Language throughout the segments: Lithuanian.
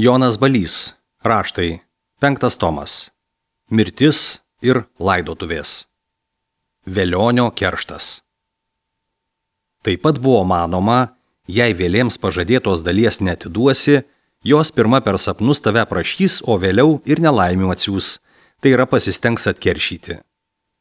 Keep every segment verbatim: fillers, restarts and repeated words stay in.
Jonas Balys. Raštai. Penktas tomas. Mirtis ir laidotuvės. Velionio kerštas. Taip pat buvo manoma, jei vėlėms pažadėtos dalies neatiduosi, jos pirma per sapnus tave prašys, o vėliau ir nelaimių atsiūs, tai yra pasistengs atkeršyti.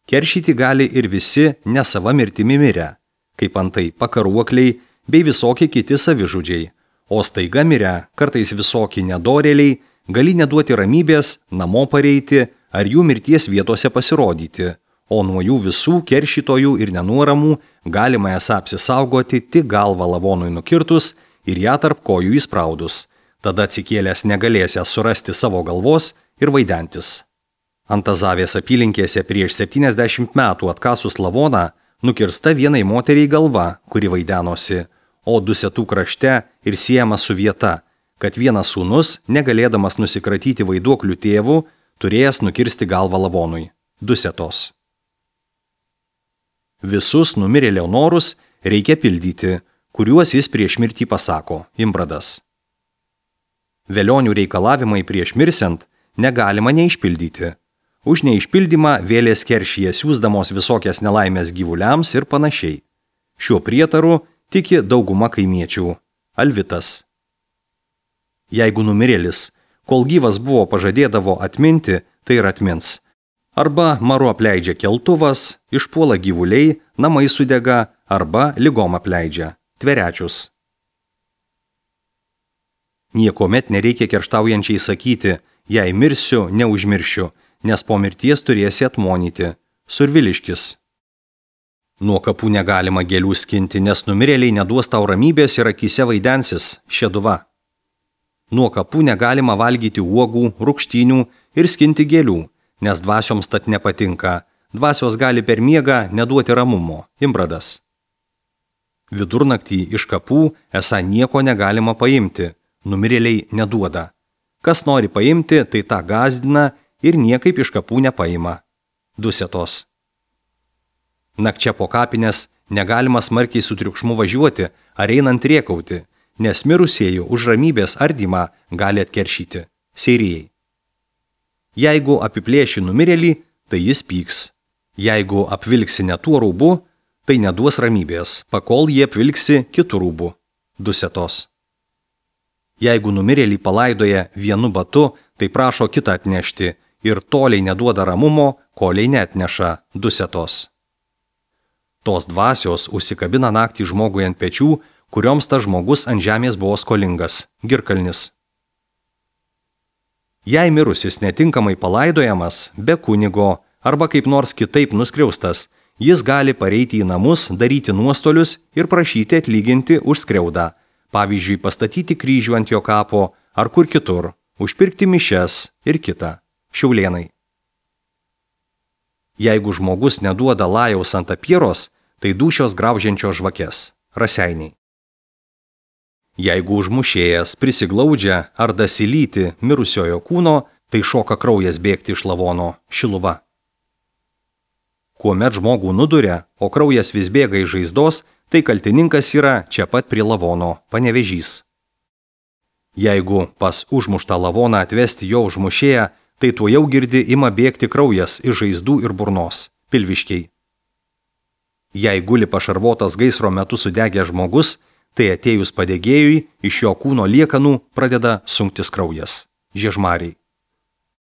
Keršyti gali ir visi ne sava mirtimi mirę, kaip antai pakaruokliai bei visokie kiti savižudžiai, o staiga mirę, kartais visokie nedorėliai, gali neduoti ramybės, namo pareiti ar jų mirties vietose pasirodyti, o nuo jų visų keršytojų ir nenuoramų galima esą apsisaugoti tik galvą lavonui nukirtus ir ją tarp kojų įspraudus, tada atsikėlęs negalėsęs surasti savo galvos ir vaidentis. Antazavės apylinkėse prieš septyniasdešimt metų atkasus lavoną nukirsta vienai moteriai galva, kuri vaidenosi, o Dusetų krašte ir siejama su vieta, kad vienas sūnus, negalėdamas nusikratyti vaiduoklių tėvų, turėjęs nukirsti galvą lavonui. Dusetos. Visus numirėlio norus reikia pildyti, kuriuos jis prieš mirtį pasako, Imbradas. Velionių reikalavimai prieš mirsiant negalima neišpildyti. Už neišpildymą vėlės keršyje siūsdamos visokias nelaimės gyvuliams ir panašiai. Šiuo prietaru tiki dauguma kaimiečių. Alvitas. Jeigu numirėlis, kol gyvas buvo pažadėdavo atminti, tai ir atmins. Arba maru apleidžia keltuvas, išpuola gyvuliai, namai sudega, arba ligom apleidžia. Tverečius. Niekomet nereikia kerštaujančiai sakyti, jei mirsiu, neužmiršiu, nes po mirties turėsi atmonyti. Surviliškis. Nuo kapų negalima gėlių skinti, nes numirėliai neduos tau ramybės ir akyse vaidensis. Šeduva. Nuo kapų negalima valgyti uogų, rūgštynių ir skinti gėlių, nes dvasioms tad nepatinka. Dvasios gali per miegą neduoti ramumo. Imbradas. Vidurnaktį iš kapų esą nieko negalima paimti. Numirėliai neduoda. Kas nori paimti, tai tą gąsdina ir niekaip iš kapų nepaima. Dusetos. Nakčia po kapines negalima smarkiai su triukšmu važiuoti ar einant rėkauti, nes mirusiejų už ramybės ardymą gali atkeršyti. Seirijai. Jeigu apiplėši numirėlį, tai jis pyks. Jeigu apvilksi ne tuo rūbu, tai neduos ramybės, pakol jie apvilksi kitų rūbų. Dusetos. Jeigu numirėlį palaidoja vienu batu, tai prašo kitą atnešti ir toliai neduoda ramumo, koliai neatneša. Dusetos. Tos dvasios užsikabina naktį žmogui ant pečių, kurioms tas žmogus ant žemės buvo skolingas. Girkalnis. Jei mirusis netinkamai palaidojamas, be kunigo arba kaip nors kitaip nuskriaustas, jis gali pareiti į namus, daryti nuostolius ir prašyti atlyginti už skriaudą. Pavyzdžiui, pastatyti kryžių ant jo kapo ar kur kitur, užpirkti mišias ir kita. Šiaulėnai. Jeigu žmogus neduoda lajaus ant apieros, tai dūšios graužiančios žvakes. Raseiniai. Jeigu užmušėjas prisiglaudžia ar dasilyti mirusiojo kūno, tai šoka kraujas bėgti iš lavono. Šiluva. Kuomet žmogų nuduria, o kraujas vis bėga iš žaizdos, tai kaltininkas yra čia pat prie lavono. Panevėžys. Jeigu pas užmuštą lavoną atvesti jo užmušėją, tai tuo jau girdi ima bėgti kraujas iš žaizdų ir burnos. Pilviškiai. Jei guli pašarvotas gaisro metu sudegęs žmogus, tai atėjus padegėjui iš jo kūno liekanų pradeda sunktis kraujas. Žiežmariai.